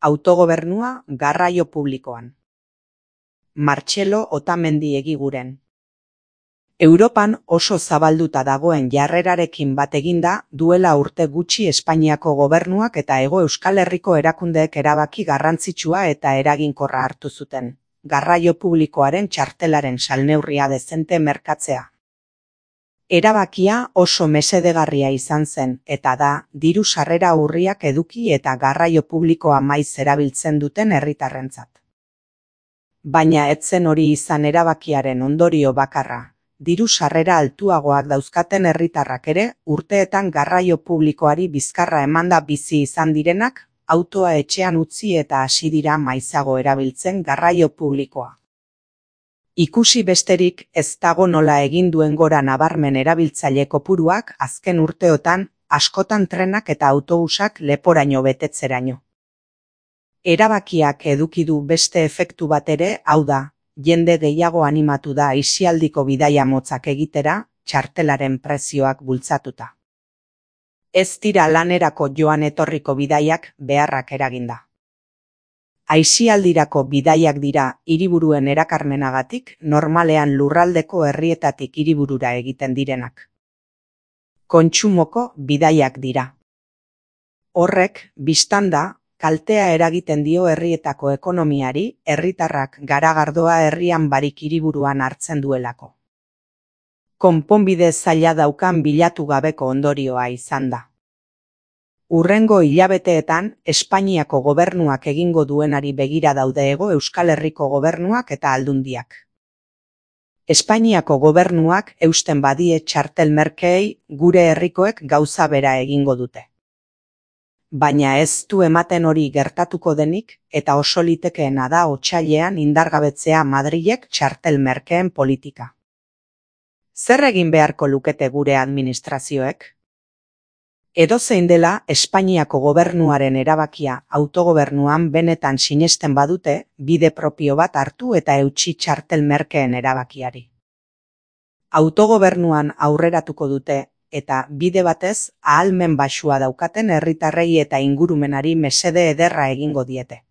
Autogobernua garraio publikoan. Martxelo Otamendi Egiguren. Europan oso zabalduta dagoen jarrerarekin bat eginda, duela urte gutxi Espainiako gobernuak eta Hego Euskal Herriko erakundeek erabaki garrantzitsua eta eraginkorra hartu zuten, garraio publikoaren txartelaren salneurria dezente merkatzea. Erabakia oso mesedegarria izan zen, eta da, diru sarrera urriak eduki eta garraio publikoa maiz erabiltzen duten herritarrentzat. Baina ez zen hori izan erabakiaren ondorio bakarra. Diru sarrera altuagoak dauzkaten herritarrak ere, urteetan garraio publikoari bizkarra emanda bizi izan direnak, autoa etxean utzi eta hasi dira maizago erabiltzen garraio publikoa. Ikusi besterik ez dago nola egin duen gora nabarmen erabiltzaile kopuruak azken urteotan, askotan trenak eta autobusak leporaino betetzeraino. Erabakiak eduki du beste efektu bat ere, hau da, jende gehiago animatu da aisialdiko bidaia motzak egitera, txartelaren prezioak bultzatuta. Ez dira lanerako joan etorriko bidaiak beharrak eraginda. Aisialdirako bidaiak dira hiriburuen erakarmenagatik normalean lurraldeko herrietatik hiriburura egiten direnak. Kontsumoko bidaiak dira. Horrek, bistanda, kaltea eragiten dio herrietako ekonomiari, herritarrak garagardoa herrian barik hiriburuan hartzen duelako. Konponbide zaila daukan bilatu gabeko ondorioa izan da. Hurrengo hilabeteetan, Espainiako gobernuak egingo duenari begira daude Hego Euskal Herriko gobernuak eta aldundiak. Espainiako gobernuak eusten badie txartel merkeei, gure herrikoek gauza bera egingo dute. Baina ez du ematen hori gertatuko denik, eta oso litekeena da otsailean indargabetzea Madrilek txartel merkeen politika. Zer egin beharko lukete gure administrazioek? Edozein dela, Espainiako gobernuaren erabakia autogobernuan benetan sinesten badute, bide propio bat hartu eta eutsi txartel merkeen erabakiari. Autogobernuan aurreratuko dute, eta bide batez ahalmen baxua daukaten herritarrei eta ingurumenari mesede ederra egingo diete.